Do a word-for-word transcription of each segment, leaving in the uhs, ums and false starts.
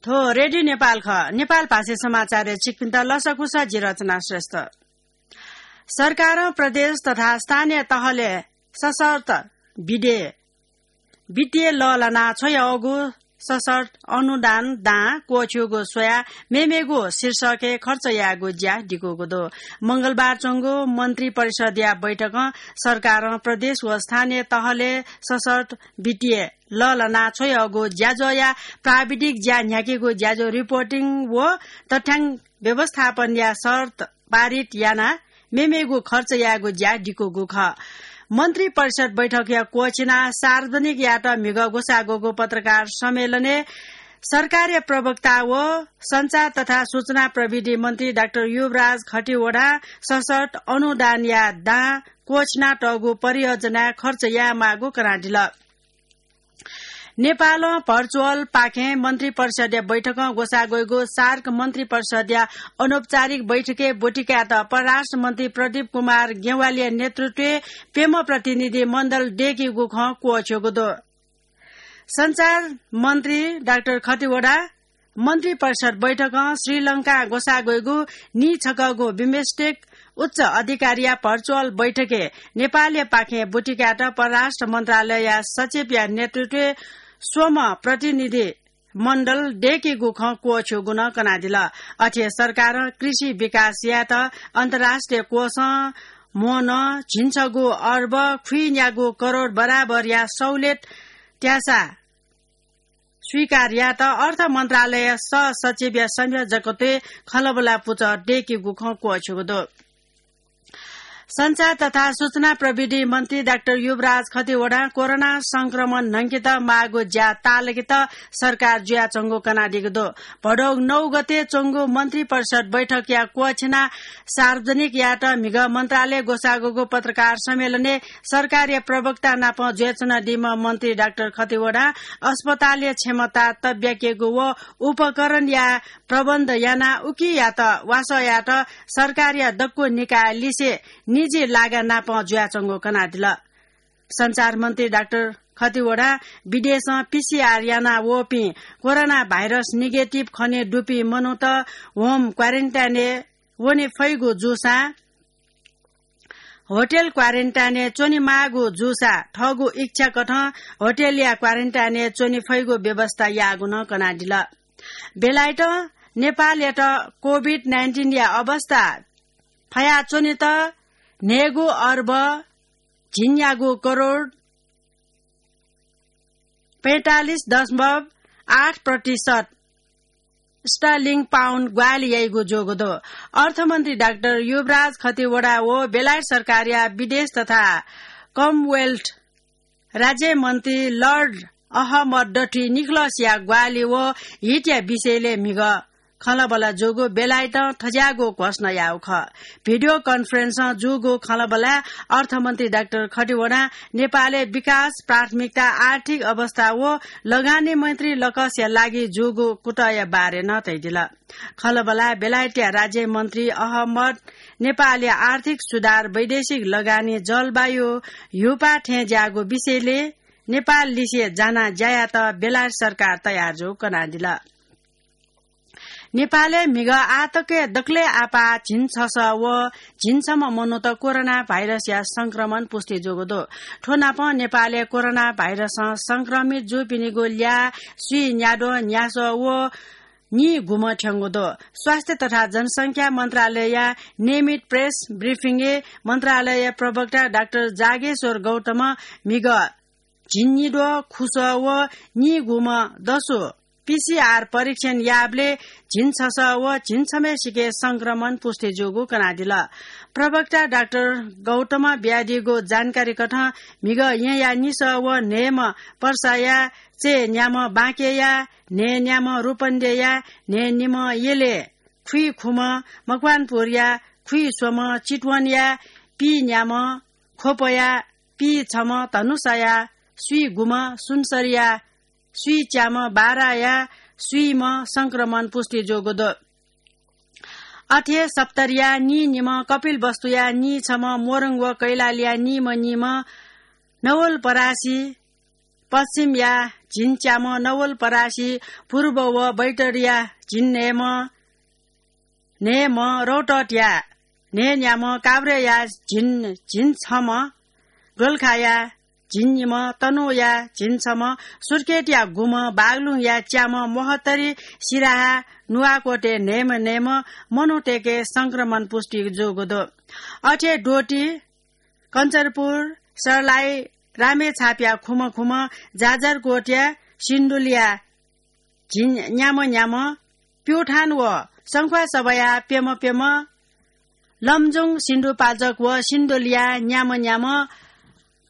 थ्व रेडियो नेपाल खः। नेपाल भाषी समाचारय् छिकपिन्त लसकुस, जि रचना श्रेष्ठ। सरकारं प्रदेश तथा स्थानीय तहले सशर्त विधे वित्तीय लःल्हाना छ्वयागु सशर्त अनुदान दां क्वःछ्यूगु स्वयाः मेमेगु शीर्षकय् खर्च यायेगु ज्या दिकूगु दु। मंगलबार च्वंगु मन्त्री परिषदया बैठकं सरकारं प्रदेश व स्थानीय तहले सशर्त वित्तीय लःल्हाना छ्वयागु ज्याझ्वःया प्राविधिक ज्या न्ह्याकेगु ज्याझ्वः रिपोर्टिङ व तथ्याङ्क व्यवस्थापनया शर्त पारित यानाः मेमेगु खर्च यायेगु ज्या दिकूगु खः। मन्त्री परिषद बैठकया क्वःछिनाः सार्वजनिक यायेत म्हिगः ग्वसाः ग्वःगु पत्रकार सम्मेलनय् सरकारया प्रवक्ता व सञ्चार तथा सूचना प्रविधि मन्त्री डाक्टर युवराज खतिवडां सशर्त अनुदानया दां क्वःछिनातःगु परियोजनाय् खर्च यायेमाःगु कनादिल। नेपालं भर्चुअल पाखें मन्त्री परिषदया बैठकं ग्वसाः ग्वइगु सार्क मन्त्री परिषदया अनौपचारिक बैठकय् ब्वति कायेत परराष्ट्र मन्त्री प्रदीप कुमार ज्ञवालीया नेतृत्वय् प्यम्ह प्रतिनिधि मण्डल दय्केगु खँ क्वःछ्यूगु दु। सञ्चार मन्त्री डाक्टर खतिवडा मन्त्री परिषद बैठकं श्रीलंकां ग्वसाः ग्वइगु नीछकःगु बिमस्टेक उच्च अधिकारीया भर्चुअल बैठकय् नेपालया पाखें ब्वति कायेत परराष्ट्र मन्त्रालयया सचिवया नेतृत्वय् स्वम्ह प्रतिनिधि मण्डल दय्केगु खँ क्वःछ्यूगु नं कनादिल। अथे सरकारं कृषि विकास यायेत अन्तर्राष्ट्रिय कोषं म्वःनं झिंछगू अर्ब खुइन्यागू करोड बराबरया सहुलियत त्यासा स्वीकार यायेत अर्थ मन्त्रालय सह सचिवया संयोजकत्वय् खँल्हाबल्हा पुचः दय्केगु खँ क्वःछ्यूगु दु। सञ्चार तथा सूचना प्रविधि मन्त्री डाक्टर युवराज खतिवडां कोरोना संक्रमण न्हंकेत माःगु ज्या ताःलाकेत सरकार जुयाच्वंगु कनादीगु दु। भदौ नौ गते च्वंगु मन्त्री परिषद बैठकया क्वःछिनाः सार्वजनिक यायेत म्हिगः मन्त्रालय ग्वसाः ग्वःगु पत्रकार सम्मेलनय् सरकारया प्रवक्ता नाप जुयाच्वनादीम्ह मन्त्री डाक्टर खतिवडां अस्पतालया क्षमता तब्याकेगु व उपकरणया प्रबन्ध यानाः उकियात वासः यायेत सरकारया दक्व निकाय लिसे निजी लागा नाप जुयाच्वंगु कनादिल। सञ्चार मन्त्री डाक्टर खतिवडां विदेशं पीसीआर याना वःपिं कोरोना भाइरस निगेटिभ खने दुपिं मनूत होम क्वारेन्टाइनय् वने फइगु जूसां होटल क्वारेन्टाइनय् च्वनेमाःगु जूसा थःगु इच्छाकथं होटलया क्वारेन्टाइनय् च्वने फइगु व्यवस्था याःगु नं कनादिल। बेलायतं नेपालयात कोभिड नाइन्टिनया अवस्था फयाच्वनेत न्हय्गू अर्ब झिंन्यागू करोड पैंतालिस दशमलव आठ प्रतिशत स्टर्लिङ पाउन्ड ग्वाहालि याइगु जूगु दु। अर्थमन्त्री डाक्टर युवराज खतिवडा व बेलायत सरकारया विदेश तथा कमनवेल्थ राज्यमन्त्री लर्ड अहमद डठी निकोलसया ग्वाहालि व हितया विषयलय् म्हिगः खँल्हाबल्हा जूगु बेलायतं थज्याःगु घोषणा याःगु खः। भिडियो कन्फरेन्सं जूगु खँल्हाबल्हाय् अर्थमन्त्री डाक्टर खतिवडां नेपालय् विकास प्राथमिकता, आर्थिक अवस्था व लगानी मैत्री लकसया लागि जूगु कुतःया बारे नं धयादिल। खँल्हाबल्हाय् बेलायतया राज्यमन्त्री अहमद नेपालया आर्थिक सुधार, वैदेशिक लगानी, जलवायु ह्यूपाः थें ज्याःगु विषयलय् नेपाल लिसे जानाः ज्या यायेत बेलायत सरकार तयार जूगु कनादिल। नेपालय् म्हिगः आःतकया दकलय् आपाः झिंछसः व झिंछम्ह मनूत कोरोना भाइरसया संक्रमण पुष्टि जूगु दु। थ्व नापं नेपालय् कोरोना भाइरसं संक्रमित जूपिनिगु ल्याः स्वीन्याद्वः न्यासः व नीगुम्ह थ्यंगु दु। स्वास्थ्य तथा जनसंख्या मन्त्रालयया नियमित प्रेस ब्रिफिङय् मन्त्रालय प्रवक्ता डाक्टर जागेश्वर गौतमं म्हिगः झिंनिद्वः खुसः व नीगुम्ह दसु पीसीआर परीक्षण याःबलय् झिंछसः व झिंछम्हय्सिके संक्रमण पुष्टि जूगु कनादिल। प्रवक्ता डाक्टर गौतमं बियादीगु जानकारी कथं म्हिगः येँया निसः व न्हय्म्ह पर्साया चय्न्याम्ह बाँकेया, न्हय्न्याम्ह रूपन्देया, न्हय्निम्ह यलय्, खुइखुम्ह मकवानपुरया, खुइस्वम्ह चितवनया, पीन्याम्ह ख्वपया, पीछम्ह धनुषाया, स्वीगुम्ह सुनसरीया, स्वीच्याम्ह बाराया, स्वीम्ह संक्रमण पुष्टि जूगु दु। अथे सप्तरीया नीनिम्ह, कपिलवस्तुया नीछम्ह, मोरङ व कैलालीया नीम्ह नीम्ह, नवलपरासी पश्चिमया झिंच्याम्ह नवलपरासी, पूर्व व बैतडीया झिंन्हय्म्ह, न्हय्म्ह रौतहटया न्हय्न्याम्ह, काभ्रेया झिं, झिंछम्ह, दोलखाया झिंनिम्ह, तनहुँया झिंछम्ह, सुर्खेतया गुम्ह, बागलुङया च्याम्ह, महोत्तरी, सिराहा, नुवाकोटय् न्हय्म्ह न्हय्म्ह मनूतय्के संक्रमण पुष्टि जूगु दु। अथे द्वःति, कञ्चनपुर, सर्लाही, रामेछापया खुम्ह खुम्ह, जाजरकोटया सिन्धुलीया झिं न्याम्ह न्याम्ह, प्युठान व सङ्ख्वासभाया प्यम्ह प्यम्ह, लमजुङ सिन्धुपाल्चोक व सिन्धुलीया न्याम्ह न्याम्ह,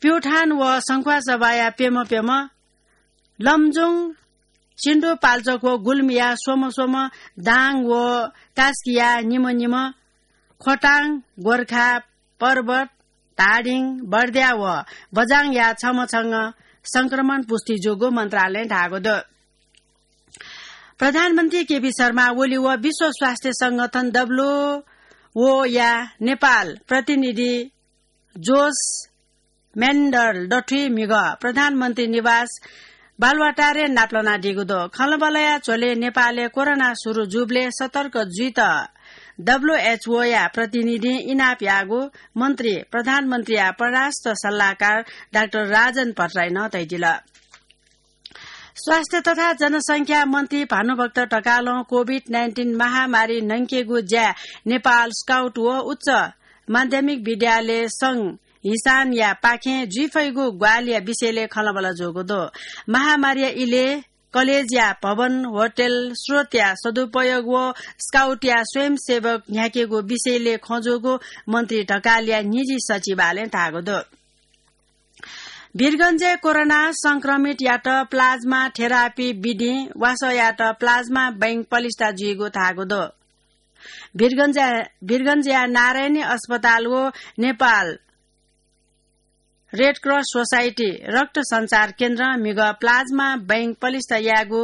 प्युठान व सङ्ख्वासभाया प्यम्ह प्यम्ह, लमजुङ सिन्धुपाल्चोक व गुल्मीया स्वम्ह स्वम्ह, दाङ व कास्कीया निम्ह निम्ह, खोटाङ, गोर्खा, पर्वत, धादिङ, बर्दिया व बझाङया छम्ह छम्ह संक्रमण पुष्टि जूगु मन्त्रालयं धाःगु दु। प्रधानमन्त्री केपी शर्मा ओली व विश्व स्वास्थ्य संगठन, डब्ल्युओ या नेपाल प्रतिनिधि जोस मेन्डल दथुइ म्हिगः प्रधानमन्त्री निवास बालुवाटारय् नापलानादीगु दु। खँल्हाबल्हाया झ्वलय् नेपालय् कोरोना सुरु जूबलय् सतर्क जुइत डब्ल्युएचओया प्रतिनिधिं इनाप याःगु मन्त्री प्रधानमन्त्रीया परराष्ट्र सल्लाहकार डाक्टर राजन भट्टराईं धयादिल। स्वास्थ्य तथा जनसंख्या मन्त्री भानुभक्त ढकालं कोभिड नाइन्टिन महामारी न्हंकेगु ज्याय् नेपाल स्काउट व उच्च माध्यमिक विद्यालय संघ हिसानया पाखें जुइफइगु ग्वाहालिया विषयलय् खँल्हाबल्हा जूगु दु। महामारीया इलय् कलेजया भवन, होटल, स्रोतया सदुपयोग व स्काउटया स्वयंसेवक न्ह्याकेगु विषयलय् खँ जूगु मन्त्री ढकालया निजी सचिवालयं धाःगु दु। वीरगञ्जय् कोरोना संक्रमितयात प्लाज्मा थेरापी विधिं वासःयात प्लाज्मा बैंक पलिस्था जुइगु धाःगु दु। वीरगञ्जया, वीरगञ्जया नारायणी अस्पताल व नेपाल रेड क्रस सोसाइटी रक्त सञ्चार केन्द्रं म्हिगः प्लाज्मा बैंक पलिस्था यायेगु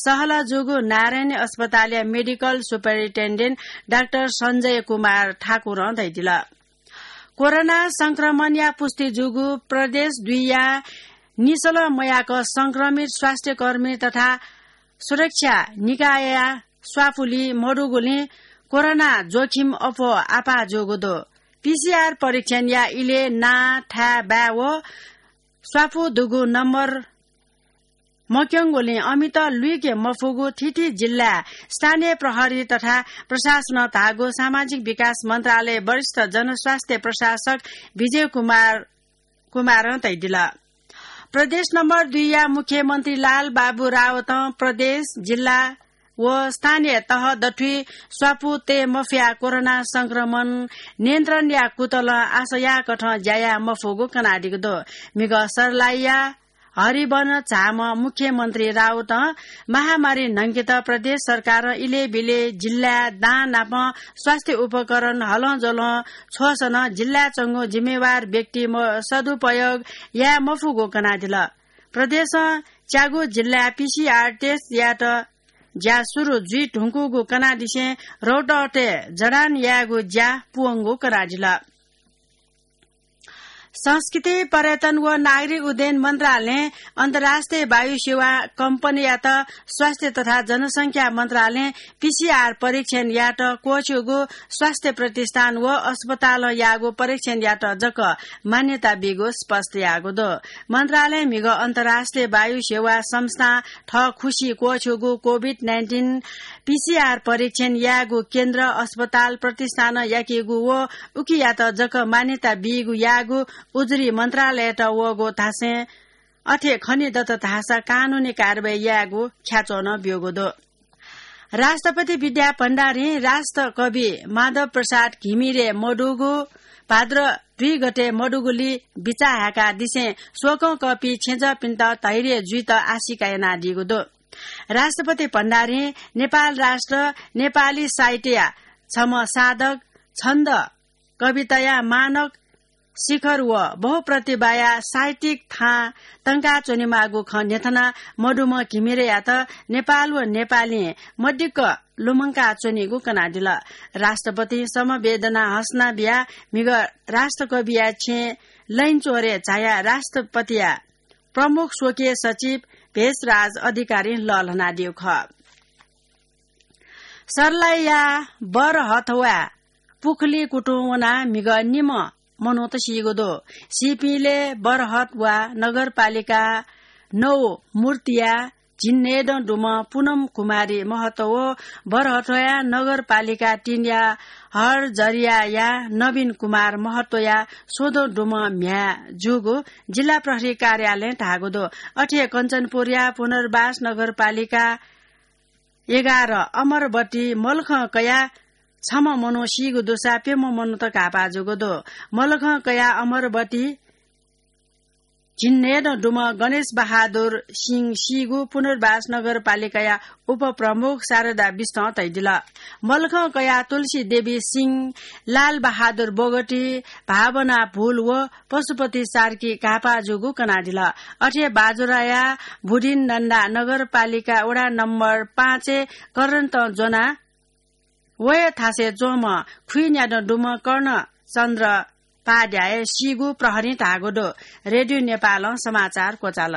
सहलह जूगु नारायणी अस्पतालया मेडिकल सुपरिन्टेन्डेन्ट डाक्टर सञ्जय कुमार ठाकुरं धयादिल। कोरोना संक्रमणया पुष्टि जूगु प्रदेश दुईया निसलं मयाक संक्रमित स्वास्थ्यकर्मी तथा सुरक्षा निकायया स्वापुलि मदुगुलिं कोरोना जोखिम अप्वः आपाः जूगु दु। पीसीआर परीक्षणया इलय् नां, थाय्, बाय् व स्वापु दुगु नम्बर मक्यंगुलिं अमित लुइके मफुगु थीथी जिल्लाय् स्थानीय प्रहरी तथा प्रशासनं धाःगु सामाजिक विकास मन्त्रालय वरिष्ठ जनस्वास्थ्य प्रशासक विजय कुमार, कुमारं धयादिल। प्रदेश नम्बर दुईया मुख्यमन्त्री लाल बाबु रावतं प्रदेश, जिल्ला व स्थानीय तह दथुइ स्वापु तये मफयाः कोरोना संक्रमण नियन्त्रणया कुतलं आशा याःकथं ज्या याये मफुगु कनादीगु दु। म्हिगः सर्लाहीया हरिवन झामं मुख्यमन्त्री रावतं महामारी न्हंकेत प्रदेश सरकारं इलय् ब्यलय् जिल्लाय् दां नापं स्वास्थ्य उपकरण हलंज्वलं छ्वःसं नं जिल्लाय् च्वंगु जिम्मेवार व्यक्ति म-, सदुपयोग याये मफुगु कनादिल। प्रदेशं च्यागू जिल्लाय् पीसीआर टेस्ट यायेत ज्या सुरु जुइ धुंकूगु कनादिसें रौतहटय् जडान यायेगु ज्या पूवंगु कनादिल। संस्कृति, पर्यटन व नागरिक उड्डयन मन्त्रालयं अन्तर्राष्ट्रिय वायु सेवा कम्पनीयात स्वास्थ्य तथा जनसंख्या मन्त्रालयं पीसीआर परीक्षण यायेत क्वःछ्यूगु स्वास्थ्य प्रतिष्ठान व अस्पतालं याःगु परीक्षण यायेत जक मान्यता बीगु स्पष्ट याःगु दु। मन्त्रालयं म्हिगः अन्तर्राष्ट्रिय वायु सेवा संस्थां थःखुसी क्वःछ्यूगु कोभिड नाइन्टिन पीसीआर परीक्षण यायेगु केन्द्र, अस्पताल, प्रतिष्ठानं याकीगु व उकियात जक मान्यता बीगु याःगु उजुरी मन्त्रालययात वःगु धासें अथे खनेदत धाःसा कानूनी कारवाही यायेगु ख्याच्वः नं ब्यूगु दु। राष्ट्रपति विद्या भण्डारीं राष्ट्रकवि माधव प्रसाद घिमिरे मदुगु भाद्र दुई गते मदुगुलिइ बिचाः हाय्कादिसें शोकं कःपिं छेँजःपिन्त धैर्य जुइत आशिका यानादीगु दु। राष्ट्रपति भण्डारीं नेपाल राष्ट्र, नेपाली साहित्यया छम्ह साधक, छन्द, कविताया मानक शिखर व बहुप्रतिभाया साहित्यिक थां तंकाच्वनेमाःगु खँ न्ह्यथनाः मदुम्ह घिमिरेयात नेपाल व नेपालीं मदिक्क लुमंकाच्वनीगु कनादिल। राष्ट्रपतिं समवेदना हसना बियाः म्हिगः राष्ट्रकविया छेँय् लैनचोरय् झायाः राष्ट्रपतिया प्रमुख स्वकीय सचिव भेषराज अधिकारीं लःल्हानादीगु खः। सर्लाहीया बरहथवा पुखुलिं कुतुं वनाः म्हिगः निम्ह मनूत सीगु दु। सीपिंलय् बरहथवा नगरपालिका नौ मूर्तिया झिंन्हय्दँ दुम्ह पुनम कुमारी महतो व बरहथया नगरपालिका तीनया हरझरियाया नवीन कुमार महतोया स्वदँ दुम्ह म्ह्याय् जूगु जिल्ला प्रहरी कार्यालयं धाःगु दु। अथे हे कञ्चनपुरया पुनर्वास नगरपालिका एघार अमरबती मलखं कयाः छम्ह मनू सीगु दुसा प्यम्ह मनूत घाःपाः जूगु दु। मलखं कयाः अमरबती झिंन्हय्दँ दुम्ह गणेश बहादुर सिंह सीगु पुनर्वास नगरपालिकाया उपप्रमुख शारदा बिष्टं तयादिल। मलखं कयाः तुलसी देवी सिंह, लाल बहादुर बोगटी, भावना भुल व पशुपति सार्की घाःपाः जूगु कनादिल। अथे हे बाजुराया बुधिनन्दा नगरपालिका वडा नम्बर पाँचय् करन्तं ज्वनाः वया थासय् च्वंम्ह खुइन्यादँ दुम्ह कर्णचन्द्र पाद्याय सीगु प्रहरीं धाःगु दु। रेडियो नेपालं समाचार क्वचाल।